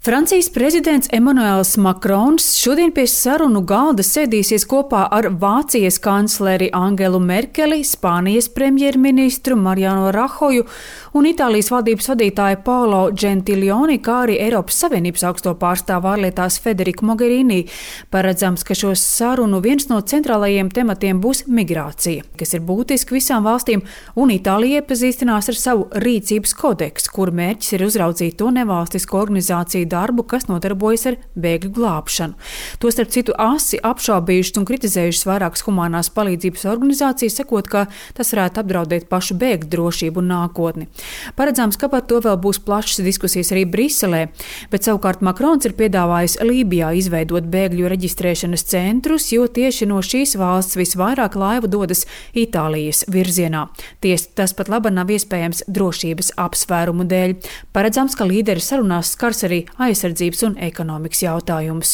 Francijas prezidents Emmanuels Macrons šodien pie sarunu galda sēdīsies kopā ar Vācijas kancleri Angelu Merkeli, Spānijas premjerministru Mariano Rajoju un Itālijas valdības vadītāju Paolo Gentiloni, kā arī Eiropas Savienības augsto pārstāvu ārlietās Federiku Mogherini. Paredzams, ka šo sarunu viens no centrālajiem tematiem būs migrācija, kas ir būtiski visām valstīm, un Itālija iepazīstinās ar savu rīcības kodeksu, kur mērķis ir uzraudzīt to nevalstisko organizāciju darbu, kas nodarbojas ar bēgļu glābšanu. To starp citu asi apšaubījušas un kritizējušas vairākas humanās palīdzības organizācijas, sakot, ka tas varētu apdraudēt pašu bēgļu drošību un nākotni. Paredzams, ka par to vēl būs plašas diskusijas arī Briselē, bet savukārt Makrons ir piedāvājis Lībijā izveidot bēgļu reģistrēšanas centrus, jo tieši no šīs valsts visvairāk laivu dodas Itālijas virzienā. Tas pat labi nav iespējams drošības apsvērumu dēļ. Paredzams, ka līderi sarunās skars arī aizsardzības un ekonomikas jautājumus.